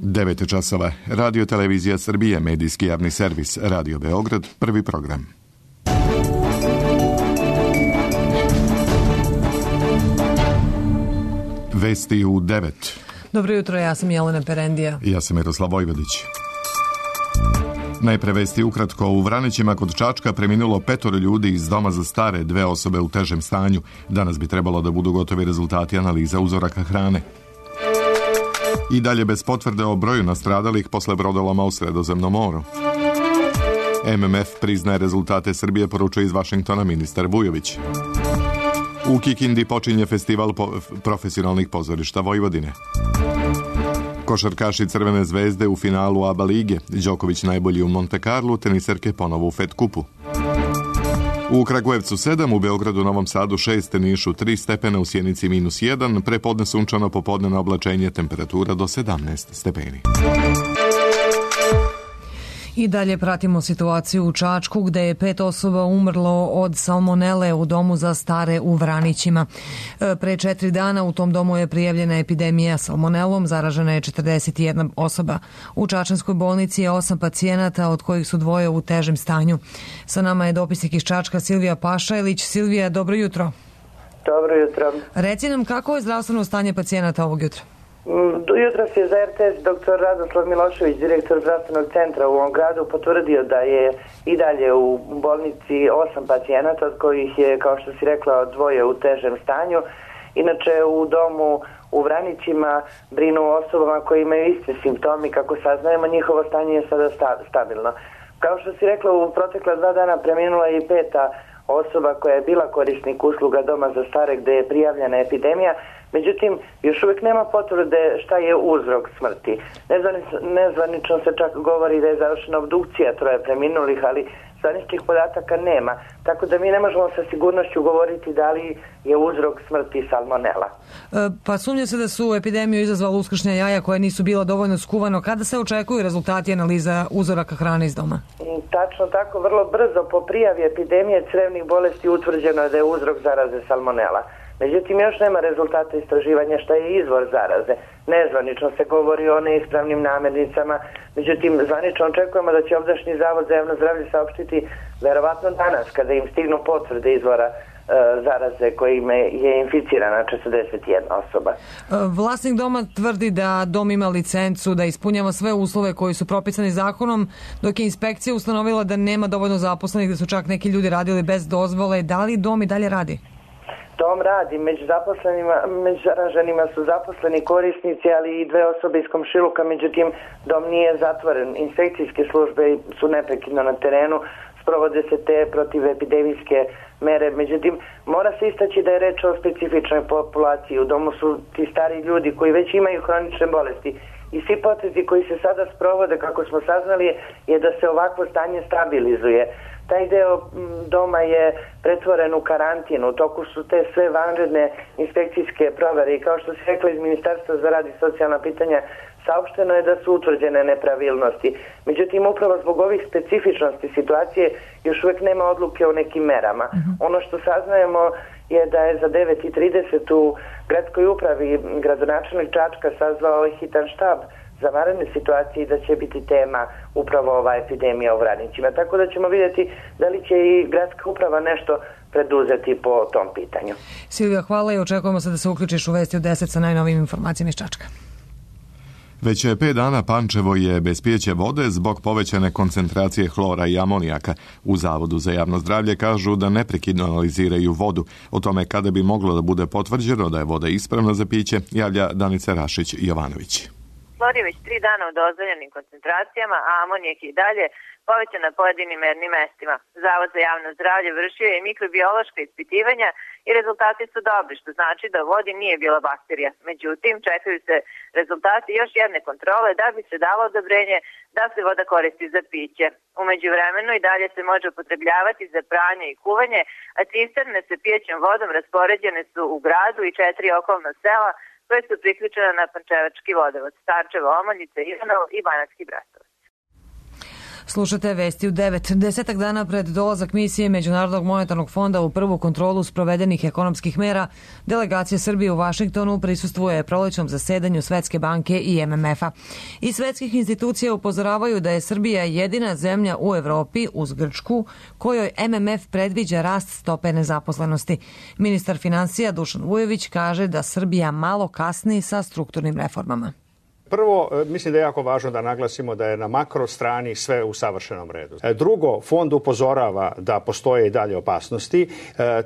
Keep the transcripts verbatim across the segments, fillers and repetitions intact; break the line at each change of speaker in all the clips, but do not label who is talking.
devet časova. Radio Televizija Srbije, medijski javni servis, Radio Beograd, prvi program. Vesti u devet.
Dobro jutro, ja sam Jelena Perendija.
Ja sam Miroslav Vojvodić. Najpre vesti ukratko. U Vranićima kod Čačka preminulo petoro ljudi iz doma za stare, dve osobe u težem stanju. Danas bi trebalo da budu gotovi rezultati analiza uzoraka hrane. I dalje bez potvrde o broju nastradalih posle brodoloma u Sredozemnom moru. M M F priznaje rezultate Srbije, poručuje iz Vašingtona ministar Vujović. U Kikindi počinje festival po profesionalnih pozorišta Vojvodine. Košarkaši Crvene zvezde u finalu A B A lige. Đoković najbolji u Monte Carlu, teniserke ponovo u Fed kupu. U Kragujevcu sedam, u Beogradu, Novom Sadu šest, Nišu tri stepena, u Sjenici minus jedan, prepodne sunčano, popodne oblačenje, temperatura do sedamnaest stepeni.
I dalje pratimo situaciju u Čačku gde je pet osoba umrlo od salmonele u domu za stare u Vranićima. Pre četiri dana u tom domu je prijavljena epidemija salmonelom, zaražena je četrdeset jedna osoba. U Čačanskoj bolnici je osam pacijenata, od kojih su dvoje u težem stanju. Sa nama je dopisnik iz Čačka Silvija Pašajlić. Silvija, dobro jutro.
Dobro jutro.
Reci nam kako je zdravstveno stanje pacijenata ovog jutra?
Jutros je za R T S doktor Radoslav Milošević, direktor zdravstvenog centra u ovom gradu, potvrdio da je i dalje u bolnici osam pacijenata, od kojih je, kao što si rekla, dvoje u težem stanju. Inače, u domu u Vranićima brinu osobama koje imaju iste simptomi. Kako saznajemo, njihovo stanje je sada stabilno. Kao što si rekla, u protekla dva dana preminula je i peta osoba koja je bila korisnik usluga doma za stare gde je prijavljena epidemija. Međutim, još uvijek nema potvrde šta je uzrok smrti. Nezvanično se čak govori da je završena obdukcija troje preminulih, ali zvaničnih podataka nema. Tako da mi ne možemo sa sigurnošću govoriti da li je uzrok smrti salmonela.
E, pa sumnja se da su epidemiju izazvala uskršnja jaja koja nisu bila dovoljno skuvano. Kada se očekuju rezultati analiza uzoraka hrane iz doma?
Tačno tako, vrlo brzo po prijavi epidemije crevnih bolesti utvrđeno je da je uzrok zaraze salmonela. Međutim, još nema rezultata istraživanja šta je izvor zaraze. Nezvanično se govori o neispravnim namirnicama, međutim, zvanično očekujemo da će ovdašnji Zavod za javno zdravlje saopštiti verovatno danas, kada im stignu potvrde izvora e, zaraze kojima je inficirana četrdeset jedna osoba.
Vlasnik doma tvrdi da dom ima licencu, da ispunjava sve uslove koji su propisani zakonom, dok je inspekcija ustanovila da nema dovoljno zaposlenih, da su čak neki ljudi radili bez dozvole. Da li dom i dalje radi?
Dom radi, među zaposlenima, među zaraženima su zaposleni korisnici, ali i dve osobe iz komšiluka, međutim dom nije zatvoren. Inspekcijske službe su neprekidno na terenu, sprovode se te protivepidemijske mere, međutim mora se istaći da je reč o specifičnoj populaciji. U domu su ti stari ljudi koji već imaju hronične bolesti i svi potezi koji se sada sprovode, kako smo saznali, je da se ovakvo stanje stabilizuje. Taj deo doma je pretvoren u karantin, u toku su te sve vanredne inspekcijske provere i kao što se rekla iz Ministarstva za rad i socijalna pitanja, saopšteno je da su utvrđene nepravilnosti. Međutim, upravo zbog ovih specifičnosti situacije još uvijek nema odluke o nekim merama. Uh-huh. Ono što saznajemo je da je za devet i trideset u gradskoj upravi gradonačelnik Čačka sazvao hitan štab za vanredne situacije i da će biti tema upravo ova epidemija u Vranićima. Tako da ćemo vidjeti da li će i gradska uprava nešto preduzeti po tom pitanju.
Silvija, hvala i očekujemo se da se uključiš u Vesti u deset sa najnovijim informacijama iz Čačka.
Već pet dana Pančevo je bez pijeće vode zbog povećane koncentracije hlora i amonijaka. U Zavodu za javno zdravlje kažu da neprekidno analiziraju vodu. O tome kada bi moglo da bude potvrđeno da je voda ispravna za piće, javlja Danica Rašić-Jovanović.
Hlor je već tri dana u dozvoljenim koncentracijama, a amonijak je i dalje povećan na pojedinim mernim mestima. Zavod za javno zdravlje vršio je mikrobiološka ispitivanja i rezultati su dobri, što znači da u vodi nije bila bakterija. Međutim, čekaju se rezultati još jedne kontrole da bi se dalo odobrenje da se voda koristi za piće. U međuvremenu i dalje se može upotrebljavati za pranje i kuvanje, a cisterne sa pijećom vodom raspoređene su u gradu i četiri okolna sela koje su priključene na Pančevački vodovod, Starčevo, Omoljice, Ivanovo i Banatski Bratovac.
Slušate vesti u devet. Desetak dana pred dolazak misije Međunarodnog monetarnog fonda u prvu kontrolu sprovedenih ekonomskih mera, delegacija Srbije u Vašingtonu prisustvuje prolećnom zasedanju Svetske banke i M M F-a. Iz svetskih institucija upozoravaju da je Srbija jedina zemlja u Evropi uz Grčku kojoj M M F predviđa rast stope nezaposlenosti. Ministar finansija Dušan Vujović kaže da Srbija malo kasni sa strukturnim reformama.
Prvo, mislim da je jako važno da naglasimo da je na makro strani sve u savršenom redu. Drugo, fond upozorava da postoje i dalje opasnosti.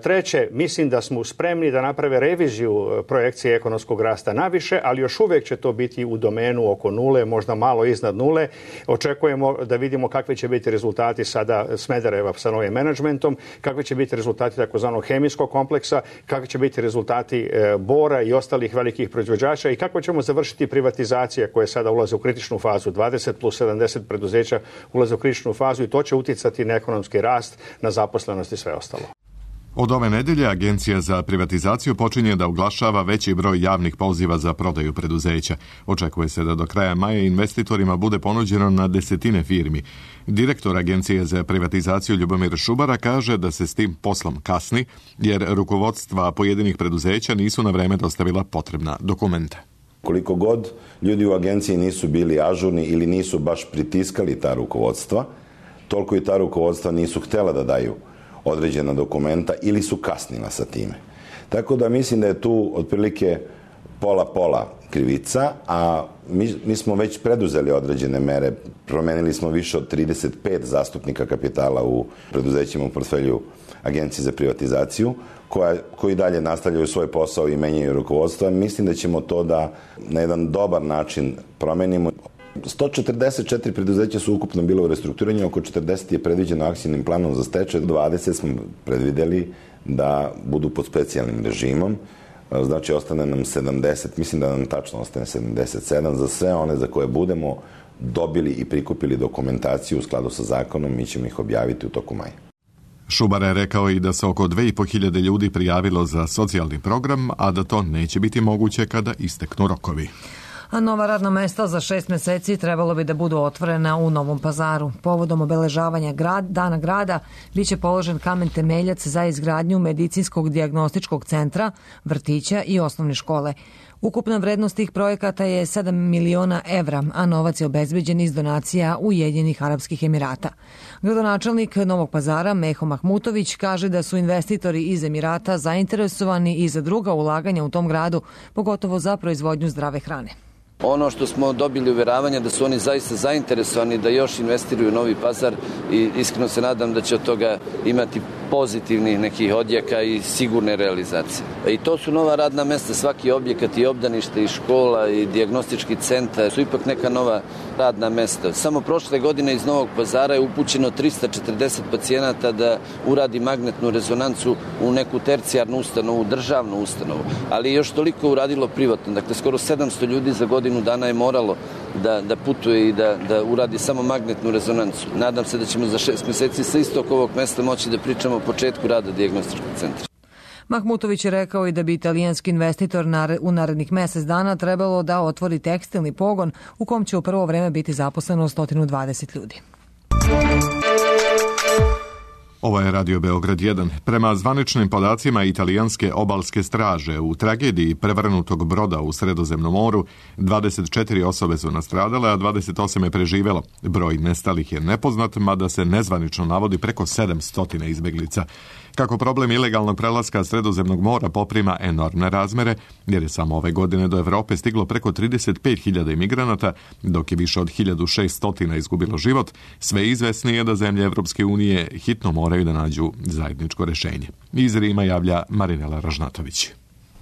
Treće, mislim da smo spremni da naprave reviziju projekcije ekonomskog rasta naviše, ali još uvek će to biti u domenu oko nule, možda malo iznad nule. Očekujemo da vidimo kakvi će biti rezultati sada Smedereva sa novim menadžmentom, kakvi će biti rezultati takozvanog hemijskog kompleksa, kakvi će biti rezultati Bora i ostalih velikih proizvođača i kako ćemo završiti privatizaciju koje sada ulaze u kritičnu fazu, dvadeset plus sedamdeset preduzeća ulaze u kritičnu fazu i to će uticati na ekonomski rast, na zaposlenost i sve ostalo.
Od ove nedelje Agencija za privatizaciju počinje da oglašava veći broj javnih poziva za prodaju preduzeća. Očekuje se da do kraja maja investitorima bude ponuđeno na desetine firmi. Direktor Agencije za privatizaciju Ljubomir Šubara kaže da se s tim poslom kasni, jer rukovodstva pojedinih preduzeća nisu na vreme dostavila potrebna dokumenta.
Koliko god ljudi u agenciji nisu bili ažurni ili nisu baš pritiskali ta rukovodstva, toliko i ta rukovodstva nisu htjela da daju određena dokumenta ili su kasnila sa time. Tako da mislim da je tu otprilike pola-pola krivica, a mi, mi smo već preduzeli određene mere. Promenili smo više od trideset pet zastupnika kapitala u preduzećima u portfelju Agencije za privatizaciju, koja, koji dalje nastavljaju svoj posao i menjaju rukovodstva. Mislim da ćemo to da na jedan dobar način promenimo. sto četrdeset četiri preduzeća su ukupno bile u restrukturiranju, oko četrdeset je predviđeno akcijnim planom za stečaj, dvadeset smo predvideli da budu pod specijalnim režimom. Znači, ostane nam sedamdeset, mislim da nam tačno ostane sedamdeset sedam za sve one za koje budemo dobili i prikupili dokumentaciju u skladu sa zakonom, mi ćemo ih objaviti u toku maja.
Šubar je rekao i da se oko dve i po hiljade ljudi prijavilo za socijalni program, a da to neće biti moguće kada isteknu rokovi.
A nova radna mesta za šest meseci trebalo bi da budu otvorena u Novom Pazaru. Povodom obeležavanja grad, dana grada biće položen kamen temeljac za izgradnju medicinskog dijagnostičkog centra, vrtića i osnovne škole. Ukupna vrednost tih projekata je sedam miliona evra, a novac je obezbeđen iz donacija Ujedinjenih Arapskih Emirata. Gradonačelnik Novog Pazara Meho Mahmutović kaže da su investitori iz Emirata zainteresovani i za druga ulaganja u tom gradu, pogotovo za proizvodnju zdrave hrane.
Ono što smo dobili uveravanja da su oni zaista zainteresovani da još investiraju u Novi Pazar i iskreno se nadam da će od toga imati pozitivnih nekih odjeka i sigurne realizacije. I to su nova radna mesta, svaki objekat i obdanište i škola i dijagnostički centar su ipak neka nova radna mesta. Samo prošle godine iz Novog Pazara je upućeno trista četrdeset pacijenata da uradi magnetnu rezonancu u neku tercijarnu ustanovu, državnu ustanovu, ali još toliko uradilo privatno. Dakle, skoro sedamsto ljudi za godinu dana je moralo da, da putuje i da, da uradi samo magnetnu rezonancu. Nadam se da ćemo za šest meseci sa istog ovog mesta moći da pričamo o početku rada dijagnostičkog centra.
Mahmutović je rekao i da bi italijanski investitor u narednih mesec dana trebalo da otvori tekstilni pogon u kom će u prvo vreme biti zaposleno sto dvadeset ljudi.
Ovo je Radio Beograd jedan. Prema zvaničnim podacima italijanske obalske straže, u tragediji prevrnutog broda u Sredozemnom moru dvadeset četiri osobe su nastradale, a dvadeset osam je preživelo. Broj nestalih je nepoznat, mada se nezvanično navodi preko sedamsto izbeglica. Kako problem ilegalnog prelaska Sredozemnog mora poprima enormne razmere, jer je samo ove godine do Evrope stiglo preko trideset pet hiljada imigranata, dok je više od hiljadu šeststo izgubilo život, sve izvesnije da zemlje Evropske unije hitno moraju da nađu zajedničko rešenje. Iz Rima javlja Marinela Ražnatović.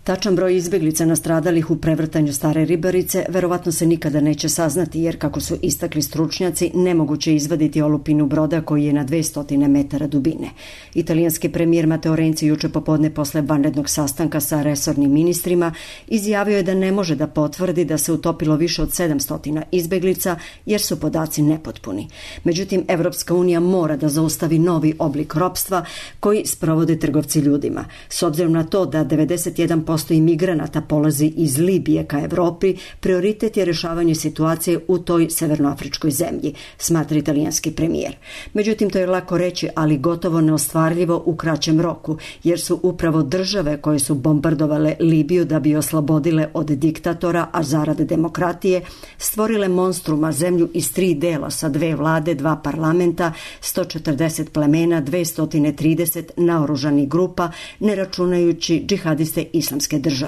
Tačan broj izbeglica nastradalih u prevrtanju Stare Ribarice verovatno se nikada neće saznati, jer kako su istakli stručnjaci, nemoguće izvaditi olupinu broda koji je na dvesta metara dubine. Italijanski premijer Matteo Renzi juče popodne posle vanrednog sastanka sa resornim ministrima izjavio je da ne može da potvrdi da se utopilo više od sedamsto izbeglica, jer su podaci nepotpuni. Međutim, Evropska unija mora da zaustavi novi oblik ropstva koji sprovode trgovci ljudima. S obzirom na to da devedeset jedan posto posto imigranata polazi iz Libije ka Evropi, prioritet je rešavanje situacije u toj severnoafričkoj zemlji, smatra italijanski premijer. Međutim, to je lako reći, ali gotovo neostvarljivo u kraćem roku, jer su upravo države koje su bombardovale Libiju da bi oslobodile od diktatora, a zarad demokratije, stvorile monstruma, zemlju iz tri dela sa dve vlade, dva parlamenta, sto četrdeset plemena, dvesta trideset naoružanih grupa, ne računajući džihadiste Islamske države.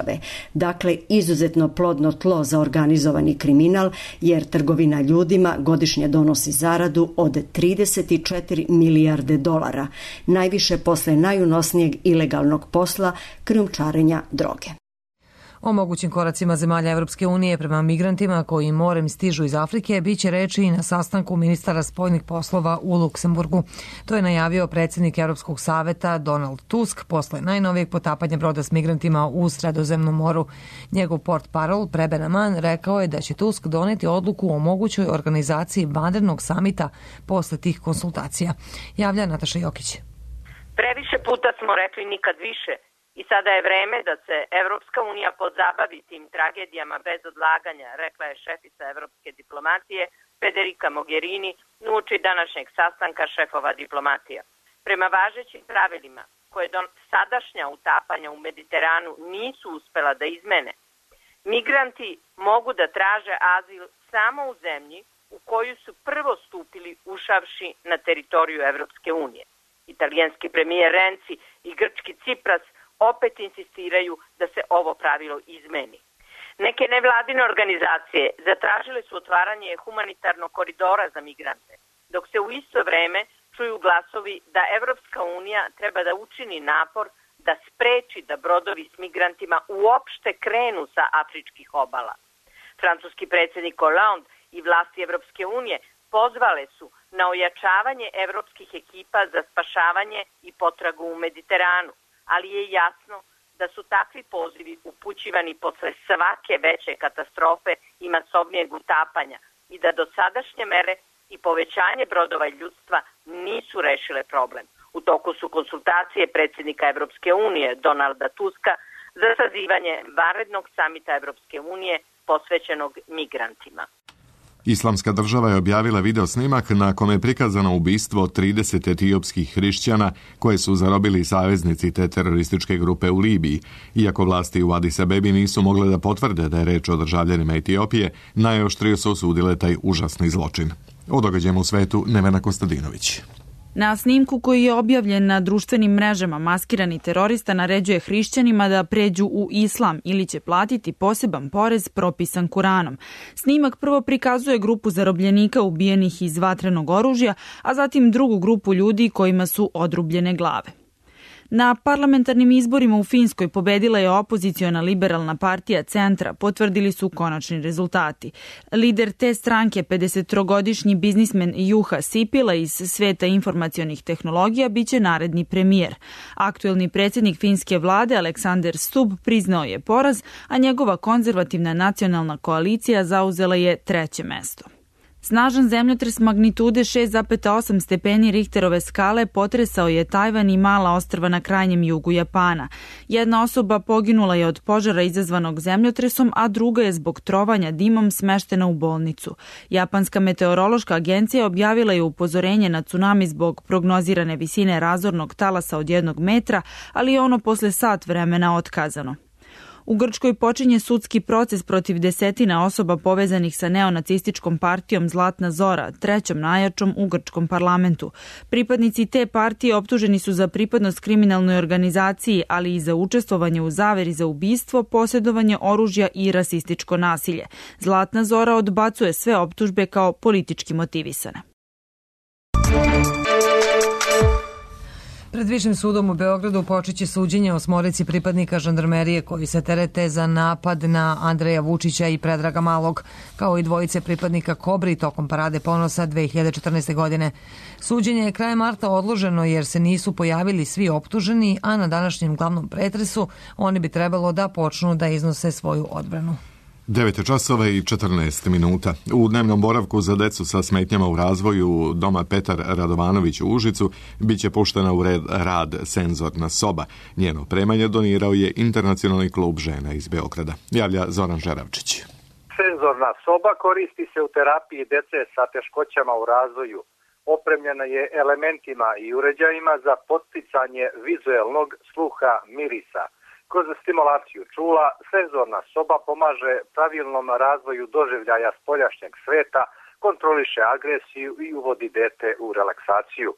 Dakle, izuzetno plodno tlo za organizovani kriminal, jer trgovina ljudima godišnje donosi zaradu od trideset četiri milijarde dolara, najviše posle najunosnijeg ilegalnog posla krijumčarenja droge.
O mogućim koracima zemalja Evropske unije prema migrantima koji morem stižu iz Afrike biće reči i na sastanku ministara spoljnih poslova u Luksemburgu. To je najavio predsjednik Europskog saveta Donald Tusk posle najnovijeg potapanja broda s migrantima u Sredozemnom moru. Njegov portparol Preben Aman rekao je da će Tusk doneti odluku o mogućoj organizaciji vanrednog samita posle tih konsultacija. Javlja Nataša Jokić.
Previše puta smo rekli nikad više. I sada je vreme da se Evropska unija pozabavi tim tragedijama bez odlaganja, rekla je šefica evropske diplomatije Federica Mogherini uoči današnjeg sastanka šefova diplomatija. Prema važećim pravilima, koje do sadašnja utapanja u Mediteranu nisu uspela da izmene, migranti mogu da traže azil samo u zemlji u koju su prvo stupili ušavši na teritoriju Evropske unije. Italijanski premijer Renzi i grčki Cipras opet insistiraju da se ovo pravilo izmeni. Neke nevladine organizacije zatražile su otvaranje humanitarnog koridora za migrante, dok se u isto vreme čuju glasovi da Evropska unija treba da učini napor da spreči da brodovi s migrantima uopšte krenu sa afričkih obala. Francuski predsjednik Hollande i vlasti Evropske unije pozvale su na ojačavanje evropskih ekipa za spašavanje i potragu u Mediteranu, ali je jasno da su takvi pozivi upućivani posle svake veće katastrofe i masovnijeg utapanja i da dosadašnje mere i povećanje brodova ljudstva nisu rešile problem. U toku su konsultacije predsjednika Evropske unije Donalda Tuska za sazivanje vanrednog samita Evropske unije posvećenog migrantima.
Islamska država je objavila video snimak na kome je prikazano ubistvo trideset etiopskih hrišćana koje su zarobili saveznici te terorističke grupe u Libiji. Iako vlasti u Adis Abebi nisu mogle da potvrde da je reč o državljanima Etiopije, najoštrije su osudile taj užasni zločin. O događajima u svetu Nevena Kostadinović.
Na snimku koji je objavljen na društvenim mrežama, maskirani terorista naređuje hrišćanima da pređu u islam ili će platiti poseban porez propisan Kuranom. Snimak prvo prikazuje grupu zarobljenika ubijenih iz vatrenog oružja, a zatim drugu grupu ljudi kojima su odrubljene glave. Na parlamentarnim izborima u Finskoj pobedila je opoziciona liberalna partija Centra, potvrdili su konačni rezultati. Lider te stranke, pedesettrogodišnji biznismen Juha Sipila iz sveta informacionih tehnologija, biće naredni premijer. Aktuelni predsjednik finske vlade Aleksander Stubb priznao je poraz, a njegova konzervativna nacionalna koalicija zauzela je treće mesto. Snažan zemljotres magnitude šest zarez osam stepeni Richterove skale potresao je Tajvan i mala ostrva na krajnjem jugu Japana. Jedna osoba poginula je od požara izazvanog zemljotresom, a druga je zbog trovanja dimom smeštena u bolnicu. Japanska meteorološka agencija objavila je upozorenje na tsunami zbog prognozirane visine razornog talasa od jednog metra, ali je ono posle sat vremena otkazano. U Grčkoj počinje sudski proces protiv desetina osoba povezanih sa neonacističkom partijom Zlatna Zora, trećom najjačom u grčkom parlamentu. Pripadnici te partije optuženi su za pripadnost kriminalnoj organizaciji, ali i za učestvovanje u zaveri za ubistvo, posjedovanje oružja i rasističko nasilje. Zlatna Zora odbacuje sve optužbe kao politički motivisane.
Pred Višim sudom u Beogradu počeće suđenje osmorici pripadnika žandarmerije koji se terete za napad na Andreja Vučića i Predraga Malog, kao i dvojice pripadnika Kobri tokom Parade ponosa dve hiljade četrnaeste. godine. Suđenje je krajem marta odloženo jer se nisu pojavili svi optuženi, a na današnjem glavnom pretresu oni bi trebalo da počnu da iznose svoju odbranu.
devet časova i četrnaest minuta. U dnevnom boravku za decu sa smetnjama u razvoju doma Petar Radovanović u Užicu biće puštena u red rad senzorna soba. Njeno opremanje donirao je Internacionalni klub žena iz Beograda. Javlja Zoran Žeravčić.
Senzorna soba koristi se u terapiji dece sa teškoćama u razvoju. Opremljena je elementima i uređajima za podsticanje vizuelnog sluha mirisa. Kroz stimulaciju čula, senzorna soba pomaže pravilnom razvoju doživljaja spoljašnjeg sveta, kontroliše agresiju i uvodi dete u relaksaciju.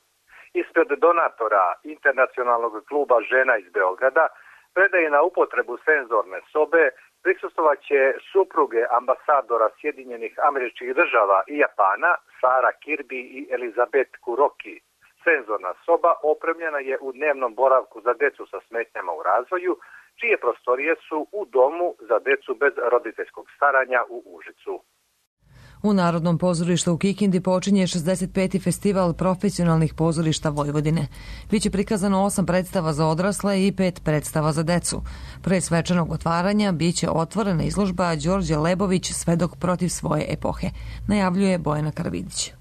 Ispred donatora Internacionalnog kluba žena iz Beograda predaje na upotrebu senzorne sobe prisustvovaće supruge ambasadora Sjedinjenih Američkih Država i Japana, Sara Kirby i Elizabeth Kuroki. Senzorna soba opremljena je u dnevnom boravku za decu sa smetnjama u razvoju, čije prostorije su u domu za decu bez roditeljskog staranja u Užicu.
U Narodnom pozorištu u Kikindi počinje šezdeset peti festival profesionalnih pozorišta Vojvodine. Biće prikazano osam predstava za odrasle i pet predstava za decu. Pre svečanog otvaranja biće otvorena izložba Đorđe Lebović Svedok protiv svoje epohe, najavljuje Bojana Karavidić.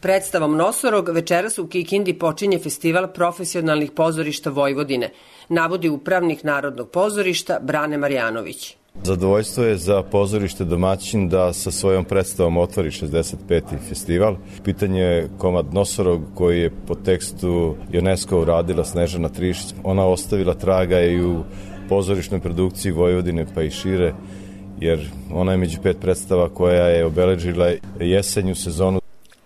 Predstavom Nosorog večeras u Kikindi počinje festival profesionalnih pozorišta Vojvodine, navodi upravnik Narodnog pozorišta Brane Marjanović.
Zadovoljstvo je za pozorište domaćin da sa svojom predstavom otvori šezdeset peti festival. Pitanje je komad Nosorog koji je po tekstu UNESCO uradila Snežana Trišić. Ona ostavila traga i u pozorišnoj produkciji Vojvodine pa i šire, jer ona je među pet predstava koja je obeležila jesenju sezonu.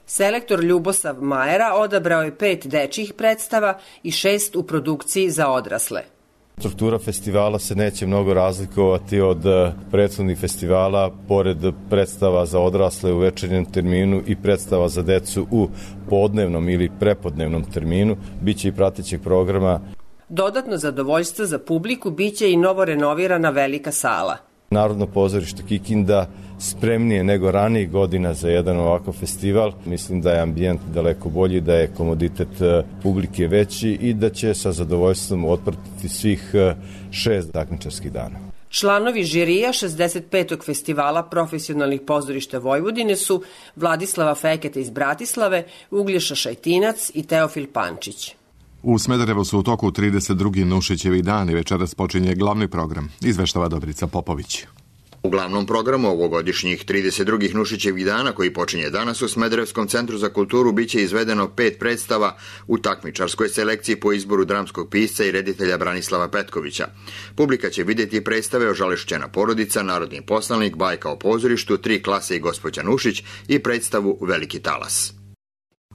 Selektor Ljubosav Majera odabrao je pet dečjih predstava i šest u produkciji za odrasle.
Struktura festivala se neće mnogo razlikovati od prethodnih festivala, pored predstava za odrasle u večernjem terminu i predstava za decu u podnevnom ili prepodnevnom terminu. Biće i pratećeg programa.
Dodatno zadovoljstvo za publiku biće i novo renovirana velika sala.
Narodno pozorište Kikinda spremnije nego ranijih godina za jedan ovakav festival. Mislim da je ambijent daleko bolji, da je komoditet publike veći i da će sa zadovoljstvom otpratiti svih šest takmičarskih dana.
Članovi žirija šezdeset petog festivala profesionalnih pozorišta Vojvodine su Vladislava Feketa iz Bratislave, Uglješa Šajtinac i Teofil Pančić.
U Smederevu su u toku trideset drugi Nušićevi dani, večeras počinje glavni program, izveštava Dobrica Popović.
U glavnom programu ovogodišnjih trideset drugih Nušićevih dana, koji počinje danas u Smederevskom centru za kulturu, biće izvedeno pet predstava u takmičarskoj selekciji po izboru dramskog pisca i reditelja Branislava Petkovića. Publika će vidjeti predstave Ožalešćena porodica, Narodni poslanik, Bajka o pozorištu, Tri klase i gospođa Nušić i predstavu Veliki talas.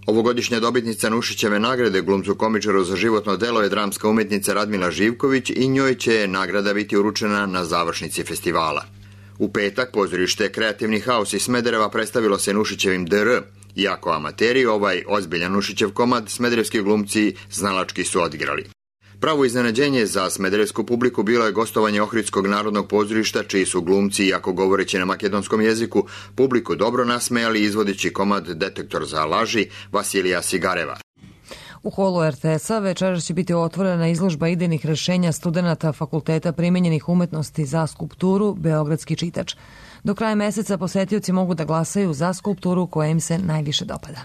Ovogodišnja dobitnica Nušićeve nagrade glumcu komičaru za životno delo je dramska umetnica Radmila Živković i njoj će nagrada biti uručena na završnici festivala. U petak pozorište Kreativni haos iz Smedereva predstavilo se Nušićevim D R. Iako amateri, ovaj ozbiljan Nušićev komad smederevski glumci znalački su odigrali. Pravo iznenađenje za smederevsku publiku bilo je gostovanje Ohridskog narodnog pozorišta, čiji su glumci, iako govoreći na makedonskom jeziku, publiku dobro nasmejali izvodeći komad Detektor za laži Vasilija Sigareva.
U holu er te es-a večeras će biti otvorena izložba idejnih rešenja studenata Fakulteta primenjenih umetnosti za skulpturu Beogradski čitač. Do kraja meseca posetioci mogu da glasaju za skulpturu koja im se najviše dopada.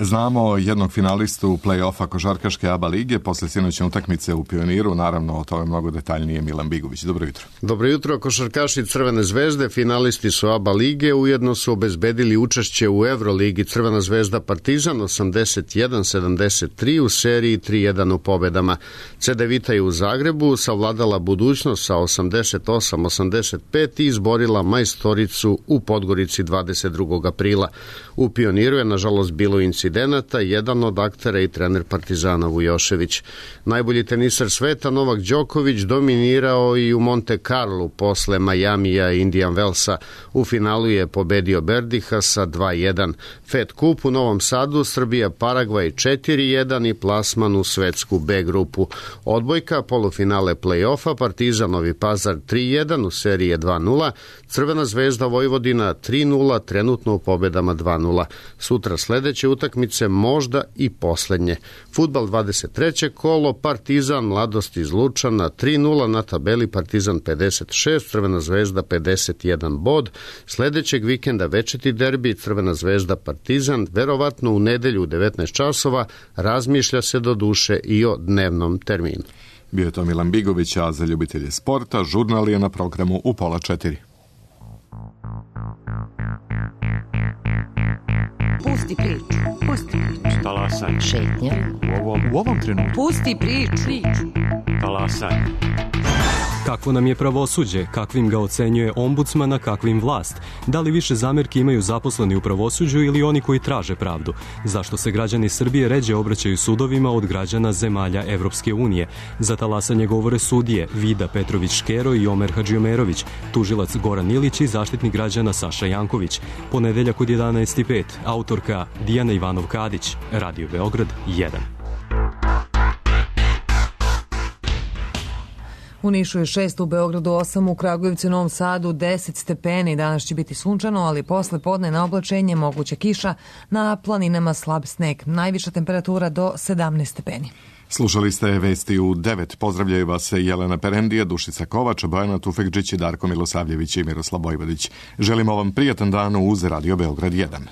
Znamo jednog finalistu play-offa košarkaške A B A lige posle sinoćne utakmice u Pioniru, naravno o tome mnogo detaljnije Milan Bigović. Dobro jutro.
Dobro jutro, košarkaši Crvene zvezde, finalisti su A B A lige, ujedno su obezbedili učešće u Euroligi. Crvena zvezda Partizan osamdeset jedan sedamdeset tri u seriji tri jedan u pobedama. Cedevita je u Zagrebu savladala budućnost sa osamdeset osam osamdeset pet i izborila Majstoricu u Podgorici dvadeset drugog aprila. U Pioniru je nažalost bilo incidenata, jedan od aktera i trener Partizana Vujošević. Najbolji teniser sveta Novak Đoković dominirao i u Monte Carlo posle Majamija i Indian Wellsa. U finalu je pobedio Berdiha sa dva jedan. Fed Cup u Novom Sadu, Srbija Paragvaj četiri jedan i plasman u svetsku B grupu. Odbojka, polufinale play-offa, Partizan Novi Pazar tri jedan u seriji dva nula, Crvena zvezda Vojvodina tri nula, trenutno u pobedama dva nula. Sutra sledeće utakmice utakmice, možda i poslednje. Fudbal dvadeset treće kolo, Partizan Mladost iz Lučana tri nula, na tabeli Partizan pedeset šest, Crvena zvezda pedeset jedan bod. Sledećeg vikenda večiti derbi Crvena zvezda Partizan, verovatno u nedelju u devetnaest časova, razmišlja se do duše i o dnevnom terminu.
Bio je to Milan Bigović, a za ljubitelje sporta žurnal je na programu u pola četiri.
Pusti priču, pusti priču.
Talasaj.
Šetnja.
U ovom, u ovom trenutku.
Pusti priču.
Talasaj.
Kakvo nam je pravosuđe, kakvim ga ocenjuje ombudsman, a kakvim vlast? Da li više zamerki imaju zaposleni u pravosuđu ili oni koji traže pravdu? Zašto se građani Srbije ređe obraćaju sudovima od građana zemalja Evropske unije? Za talasanje govore sudije Vida Petrović-Škero i Omer Hadžiomerović, tužilac Goran Ilić i zaštitnik građana Saša Janković. Ponedeljak od jedanaest i pet, autorka Dijana Ivanov-Kadić, Radio Beograd jedan.
U Nišu je šest, u Beogradu osam, u Kragujevcu i Novom Sadu deset stepeni. Danas će biti sunčano, ali posle podne na oblačenje moguća kiša, na planinama slab sneg. Najviša temperatura do sedamnaest stepeni.
Slušali ste vesti u devet. Pozdravljaju vas Jelena Perendija, Dušica Kovač, Bojana Tufekđić, Darko Milosavljević i Miroslav Bojvodić. Želimo vam prijatan dan uz Radio Beograd jedan.